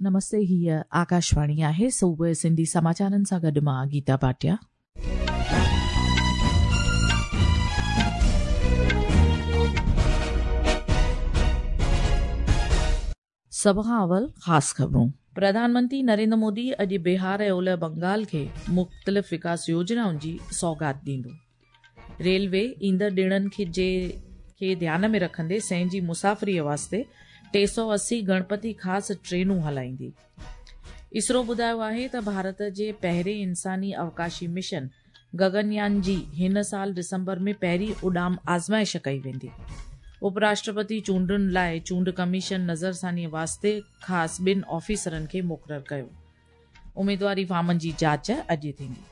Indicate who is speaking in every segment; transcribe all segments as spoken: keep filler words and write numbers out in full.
Speaker 1: नमस्ते, हीअ आकाशवाणी आहे। सुबुह सिंधी समाचारनि सां गॾु मां गीता भाटिया। सभ खां अवल ख़ासि ख़बरूं। प्रधानमंत्री नरेंद्र मोदी अॼु बिहार ऐं ओलह बंगाल खे मुख़्तलिफ़ विकास योजनाउनि जी सौगात ॾींदो। रेलवे ईंदड़ ॾिणनि खे जे खे ध्यान में रखंदे सैं जी मुसाफ़िरीअ वास्ते टे सौ असी गणपति ख़ासि ट्रेनूं हलाईंदी। इसरो ॿुधायो आहे त भारत जे पहिरें इंसानी अवकाशी मिशन गगनयान जी हिन साल दिसंबर में पहिरीं उॾाम आज़माइश कई वेंदी। उपराष्ट्रपति चूंडुनि लाइ चूंड कमीशन नज़रसानीअ वास्ते ख़ासि ॿिनि ऑफिसरनि खे मुक़ररु कयो। उमेदवारी फॉर्मनि जी जांच अॼु थींदी।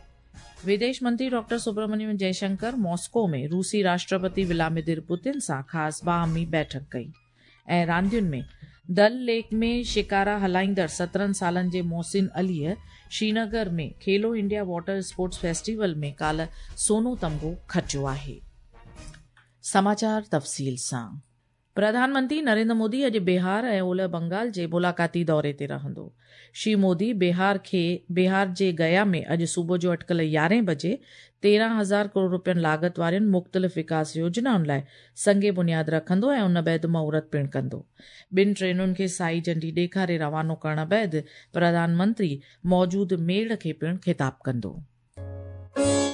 Speaker 1: विदेश मंत्री डॉक्टर सुब्रमण्यम जयशंकर मॉस्को में रूसी राष्ट्रपति व्लादिमीर पुतिन सां ख़ासि बाहमी बैठक कई। ऐं रांदियुनि में दल लेक में शिकारा हलाईंदड़ सत्रहं सालनि जे मोहसिन अलीअ श्रीनगर में Khelo India water sports festival में काल्ह सोनो तमगो खटियो आहे। समाचार तफ़सील सां। प्रधानमंत्री नरेंद्र मोदी अॼु बिहार ऐं ओलह बंगाल जे मुलाक़ाती दौरे ते रहंदो। श्री मोदी बिहार खे बिहार जे गया में अॼु सुबुह जो अटकल यारहें बजे तेरहं हज़ार करोड़ रुपयनि लागत वारियुनि मुख़्तलिफ़ विकास योजनाउनि लाइ संगे बुनियाद रखंदो ऐं उन बाद मुहूर्त पिणु कंदो। ॿिनि ट्रेनुनि खे साई झंडी ॾेखारे रवानो करण बाद प्रधानमंत्री मौजूद मेड़ खे पिणु ख़िताब कंदो।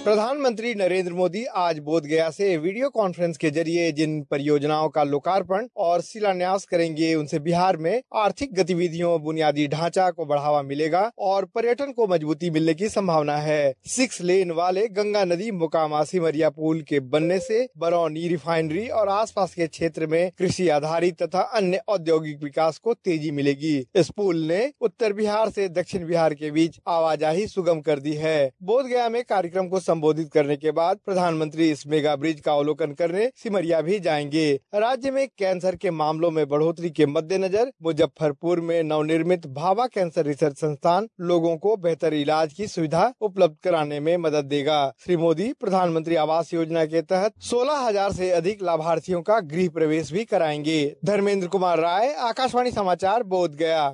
Speaker 2: प्रधानमंत्री नरेंद्र मोदी आज बोधगया से वीडियो कॉन्फ्रेंस के जरिए जिन परियोजनाओं का लोकार्पण और शिलान्यास करेंगे, उनसे बिहार में आर्थिक गतिविधियों, बुनियादी ढांचा को बढ़ावा मिलेगा और पर्यटन को मजबूती मिलने की संभावना है। सिक्स लेन वाले गंगा नदी मोकामा सिमरिया पुल के बनने से बरौनी रिफाइनरी और आसपास के क्षेत्र में कृषि आधारित तथा अन्य औद्योगिक विकास को तेजी मिलेगी। इस पुल ने उत्तर बिहार से दक्षिण बिहार के बीच आवाजाही सुगम कर दी है। बोधगया में कार्यक्रम को संबोधित करने के बाद प्रधानमंत्री इस मेगा ब्रिज का अवलोकन करने सिमरिया भी जाएंगे। राज्य में कैंसर के मामलों में बढ़ोतरी के मद्देनजर मुजफ्फरपुर में नवनिर्मित भाभा कैंसर रिसर्च संस्थान लोगों को बेहतर इलाज की सुविधा उपलब्ध कराने में मदद देगा। श्री मोदी प्रधानमंत्री आवास योजना के तहत सोलह हजार से अधिक लाभार्थियों का गृह प्रवेश भी कराएंगे। धर्मेंद्र कुमार राय, आकाशवाणी समाचार, बोधगया।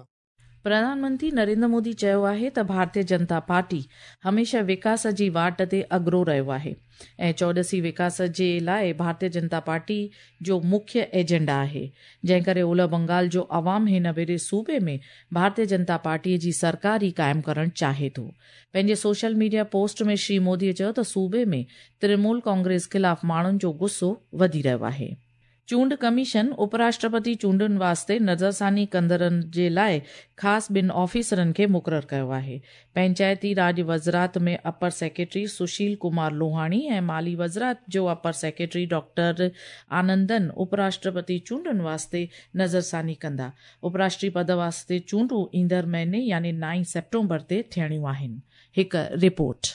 Speaker 1: प्रधानमंत्री नरेंद्र मोदी चयो आहे त भारतीय जनता पार्टी हमेशह विकास जी वाट ते अग्रो रहियो आहे ऐं चौॾसी विकास जे लाइ भारतीय जनता पार्टी जो मुख्य एजेंडा आहे, जंहिं करे ओलह बंगाल जो अवाम हिन भेरे सूबे में भारतीय जनता पार्टीअ जी सरकार ई क़ाइमु करणु चाहे थो। पंहिंजे सोशल मीडिया पोस्ट में श्री मोदीअ चयो त सूबे में तृणमूल कांग्रेस ख़िलाफ़ माण्हुनि जो गुस्सो वधी रहियो आहे। चूंड कमीशन उपराष्ट्रपति चूंडुनि वास्ते नज़रसानी कंदड़नि जे लाइ ख़ासि ॿिनि ऑफिसरनि खे मुक़ररु कयो आहे। पंचायती राज वज़ारत में अपर सेक्रेटरी सुशील कुमार लोहाणी ऐं माली वज़ारत जो अपर सेक्रेटरी डॉक्टर आनंदन उपराष्ट्रपति चूंडुनि वास्ते नज़रसानी कंदा। उपराष्ट्रीय पद वास्ते चूंडूं ईंदड़ महीने यानी नाइन सेप्टेम्बर ते थियणियूं आहिनि। हिकु रिपोर्ट।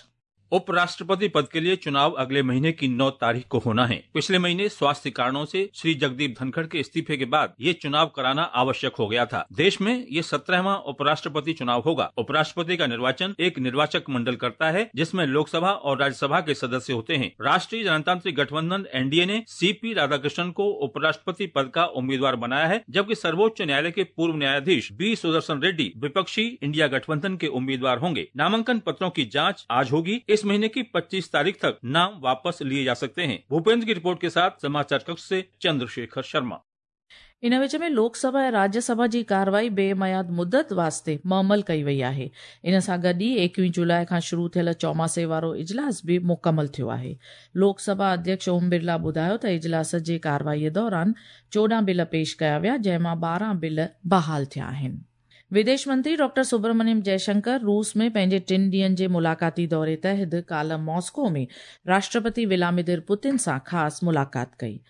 Speaker 3: उपराष्ट्रपति पद के लिए चुनाव अगले महीने की नौ तारीख को होना है। पिछले महीने स्वास्थ्य कारणों से श्री जगदीप धनखड़ के इस्तीफे के बाद ये चुनाव कराना आवश्यक हो गया था। देश में ये सत्रहवां उपराष्ट्रपति चुनाव होगा। उपराष्ट्रपति का निर्वाचन एक निर्वाचक मंडल करता है, जिसमें लोकसभा और राज्यसभा के सदस्य होते हैं। राष्ट्रीय जनतांत्रिक गठबंधन एनडीए ने सी पी राधाकृष्णन को उपराष्ट्रपति पद का उम्मीदवार बनाया है, जबकि सर्वोच्च न्यायालय के पूर्व न्यायाधीश बी सुदर्शन रेड्डी विपक्षी इंडिया गठबंधन के उम्मीदवार होंगे। नामांकन पत्रों की जाँच आज होगी। इस महीने की पच्चीस तारीख तक नाम वापस लिए जा सकते हैं। भूपेंद्र की रिपोर्ट के साथ समाचार कक्ष से चंद्रशेखर शर्मा।
Speaker 1: इन विच में लोकसभा ऐं राज्यसभा जी कार्रवाई बेमयाद मुदत वास्ते मुअमल कई वई आहे। इन सां गॾु ई एकवीह जुलाई खां शुरू थियल चौमासे वारो इजलास बि मुकमल थियो आहे। लोकसभा अध्यक्ष ओम बिरला ॿुधायो त इजलास जे कार्रवाईअ दौरान चोॾहं बिल पेश कया विया, जंहिं मां ॿारहं बिल बहाल थिया आहिनि। विदेश मंत्री डॉक्टर सुब्रमण्यम जयशंकर रूस में पंहिंजे टिनि ॾींहनि जे मुलाक़ाती दौरे तहत काल्ह मॉस्को में राष्ट्रपति व्लादिमीर पुतिन सां ख़ासि मुलाक़ात कई।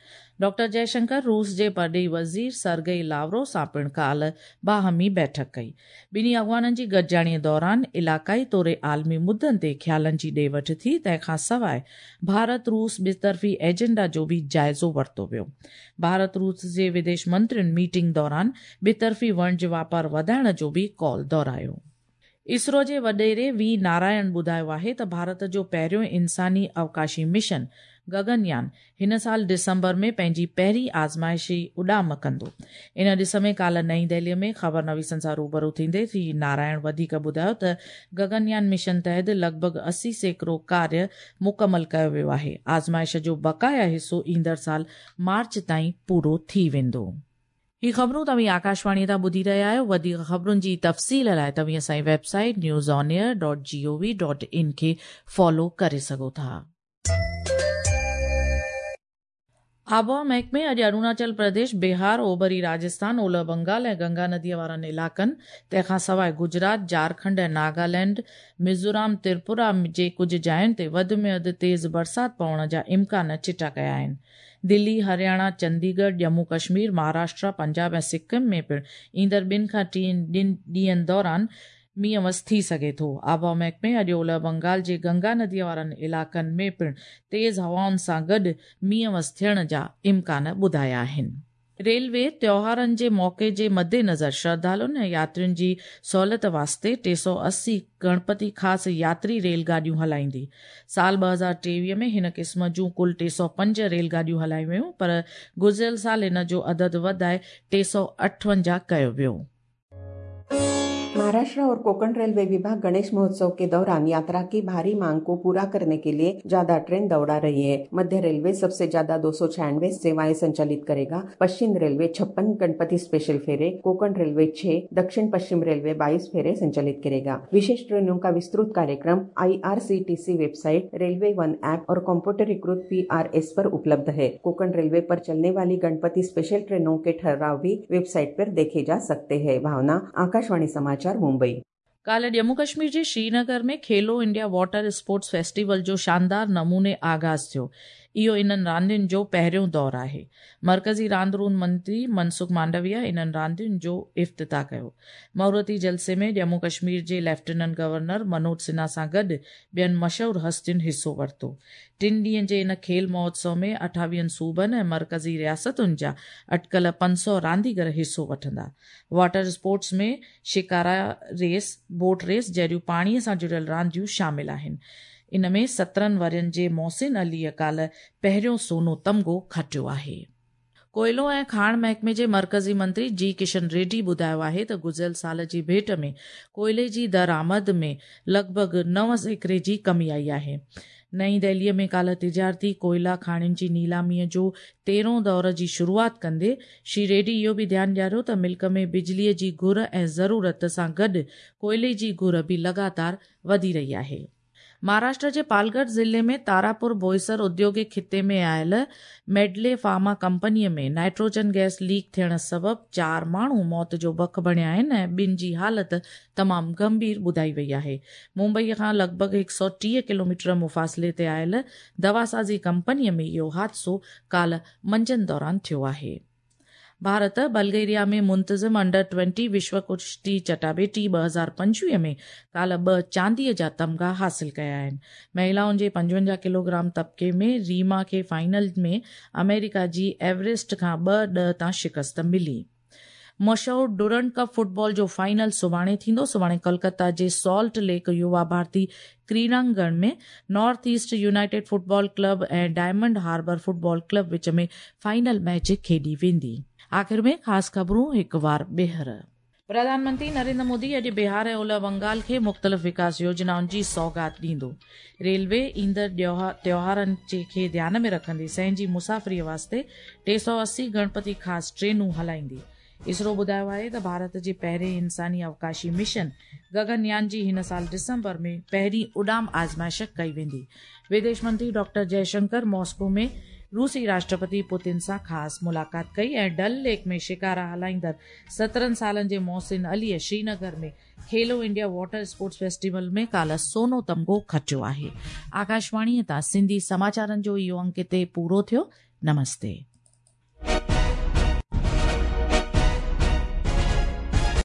Speaker 1: डॉक्टर जयशंकर रूस जे परॾेही वज़ीर सरगई लावरो सां पिणु काल्ह बाहमी बैठक कई। ॿिन्ही अॻवाननि जी गॾिजाणीअ दौरान इलाक़ाई तौरे आलमी मुद्दनि ते ख़्यालनि जी ॾे वठि थी। तंहिंखां सवाइ भारत रूस ॿितरफ़ी एजेंडा जो बि जाइज़ो वरितो वियो। भारत रूस जे विदेश मंत्रियुनि मीटिंग दौरान ॿितरफ़ी वणिज वापार वधाइण जो बि कॉल दोहरायो। इसरो जे वॾेरे वी नारायण ॿुधायो आहे त भारत जो पहिरियों इंसानी अवकाशी मिशन गगनयान हिन साल दिसंबर में पंहिंजी पहिरीं आज़माइशी उॾाम कंदो। इन ॾिस में काल्ह नई दिल्लीअ में ख़बर नवीसनि सां रूबरू थींदे श्री नारायण वधीक ॿुधायो त गगनयान मिशन तहत लॻभॻि अस्सी सैकड़ो कार्य मुकमल कयो वियो आहे। आज़माइश जो बक़ाया हिसो ईंदड़ साल मार्च ताईं पूरो थी वेंदो। ही ख़बरूं तव्हीं आकाशवाणी तां ॿुधी रहिया आहियो। वधीक ख़बरुनि जी तफ़सील लाइ तव्हीं असांजी website news on air dot G O V dot in खे फॉलो करे सघो था। आबहावा महकमे अॼु अरुणाचल प्रदेश, बिहार, ओभरी राजस्थान, ओलह बंगाल ऐं गंगा नदीअ वारनि इलाइक़नि, तंहिंखां सवाइ गुजरात, झारखंड ऐं नागालैंड, मिज़ोरम, त्रिपुरा जे कुझु जायुनि ते वधि में वधि तेज़ बरसाति पवण जा इम्कान चिटा कया आहिनि। दिल्ली, हरियाणा, चंडीगढ़, जम्मू कश्मीर, महाराष्ट्र, पंजाब ऐं सिक्किम में पिणु ईंदड़ ॿिनि खां टिनि ॾींहनि दौरान मींहुं वस थी सघे थो। आबहावा महकमे अॼु ओलह बंगाल जे गंगा नदीअ वारनि इलाइक़नि में पिणु तेज़ हवाउनि सां गॾु मींहुं वस थियण जा इम्कान ॿुधाया आहिनि। रेलवे त्योहारनि जे मौक़े जे मद्देनज़र श्रद्धालुनि ऐं यात्रियुनि जी सहूलियत वास्ते टे सौ अस्सी गणपति ख़ासि यात्री रेलगाॾियूं हलाईंदी। साल ॿ हज़ार टेवीह में हिन क़िस्म जूं कुल टे सौ पंज रेलगाॾियूं हलायूं वियूं, पर गुज़िरियल साल हिन जो अदद वधाए टे सौ अठवंजाह कयो वियो।
Speaker 4: महाराष्ट्र और कोंकण रेलवे विभाग गणेश महोत्सव के दौरान यात्रा की भारी मांग को पूरा करने के लिए ज्यादा ट्रेन दौड़ा रही है। मध्य रेलवे सबसे ज्यादा दो सौ छियानवे सेवाएं संचालित करेगा। पश्चिम रेलवे छप्पन गणपति स्पेशल फेरे, कोंकण रेलवे छह, दक्षिण पश्चिम रेलवे बाईस फेरे संचालित करेगा। विशेष ट्रेनों का विस्तृत कार्यक्रम I R C T C website, railway one app और कम्प्यूटरीकृत पी आर एस पर उपलब्ध है। कोंकण रेलवे पर चलने वाली गणपति स्पेशल ट्रेनों के ठहराव भी वेबसाइट पर देखे जा सकते हैं। भावना, आकाशवाणी समाचार, मुंबई।
Speaker 1: काल्ह जम्मू कश्मीर जे श्रीनगर में Khelo India water sports festival जो शानदार नमूने आगाज़ थियो। इहो इन्हनि रांदियुनि जो पहिरियों दौर आहे। मर्कज़ी रांदि रूंद मंत्री मनसुख मांडविया इन्हनि रांदियुनि जो इफ्तिताह कयो। मुहूर्ती जलसे में जम्मू कश्मीर जे लेफ्टिनेंट गवर्नर मनोज सिन्हा सां गॾु ॿियनि मशहूर हस्तियुनि हिसो वरितो। टिनि ॾींहनि जे इन खेल महोत्सव में अठावीहनि सूबनि ऐं मर्कज़ी रियासतुनि जा अटकल पंज सौ रांदीगर हिसो वठंदा। वाटर स्पोर्ट्स में shikara race, boat race जहिड़ियूं पाणीअ सां जुड़ियल रांदियूं शामिल आहिनि। इन में सत्रहनि वरियनि जे मोहसिन अलीअ काल्ह पहिरियों सोनो तमगो खटियो आहे। कोयलो ऐं खाण महकमे जे मर्कज़ी मंत्री जी किशन रेड्डी ॿुधायो आहे त गुज़िरियल साल जी भेंट में कोयले जी दरामद में लॻभॻि नव सैकड़े जी कमी आई आहे। नई दिल्लीअ में काल्ह तिजारती कोयला खाणियुनि जी नीलामीअ जो तेरहों दौर जी शुरूआत कंदे श्री रेड्डी इहो बि ध्यानु ॾियारियो त मुल्क में बिजलीअ जी घुर ऐं ज़रूरत सां गॾु कोयले जी घुर बि लगातार वधी रही आहे। महाराष्ट्र जे पालगढ़ ज़िले में तारापुर बोईसर औद्योगिक खिते में आयल मेडले फार्मा कंपनीअ में नाइट्रोजन गैस लीक थियण सबबि चारि माण्हू मौत जो बक बणिया आहिनि ऐं ॿिनि जी हालत तमामु गंभीर ॿुधाई वई आहे। मुंबई खां लॻभॻि हिकु सौ टीह किलोमीटर मुफ़ासिले ते आयल दवासाज़ी कंपनीअ में इहो हादिसो काल्ह मंझंदि दौरान थियो आहे। भारत बल्गेरिया में मुंतज़िम अंडर ट्वेंटी विश्व कुश्ती चटाबेटी ॿ हज़ार पंजवीह में काल्ह ॿ चांदीअ जा तमगा हासिल कया आहिनि। महिलाउनि जे पंजवंजाह किलोग्राम तबके में रीमा खे फाइनल में अमेरिका जी एवरेस्ट खां ॿ ॾह तां शिकस्त मिली। मशहूर डुरंड कप फुटबॉल जो फाइनल सुभाणे थींदो। सुभाणे कोलकाता जे सॉल्ट लेक युवा भारती क्रीड़ांगण में North East United football club ऐं डायमंड हार्बर फुटबॉल क्लब विच में फाइनल मैच खेॾी वेंदी। आख़िर में ख़ासि ख़बरूं हिकु वार ॿीहर। प्रधानमंत्री नरेंद्र मोदी अॼु बिहार ऐं ओलह बंगाल खे मुख़्तलिफ़ विकास योजनाउनि जी सौगात ॾींदो। रेलवे ईंदड़ त्योहारनि खे ध्यान में रखंदे सहंजी मुसाफ़िरीअ वास्ते टे सौ अस्सी गणपति ख़ासि ट्रेनूं हलाईंदी। इसरो ॿुधायो आहे त भारत जे पहिरें इंसानी अवकाशी मिशन गगनयान जी हिन साल दिसंबर में पहिरीं उॾाम आज़माइश कई वेंदी। विदेश मंत्री डॉक्टर जयशंकर मॉस्को में रूसी राष्ट्रपति पुतिन सां ख़ासि मुलाक़ात कई ऐं डल लेक में शिकारा हलाईंदड़ सत्रहनि सालनि जे मोहसिन अलीअ श्रीनगर में Khelo India water sports festival में काल्ह सोनो तमगो खटियो आहे। आकाशवाणीअ तां सिंधी समाचारनि जो इहो अंक हिते पूरो थियो। नमस्ते।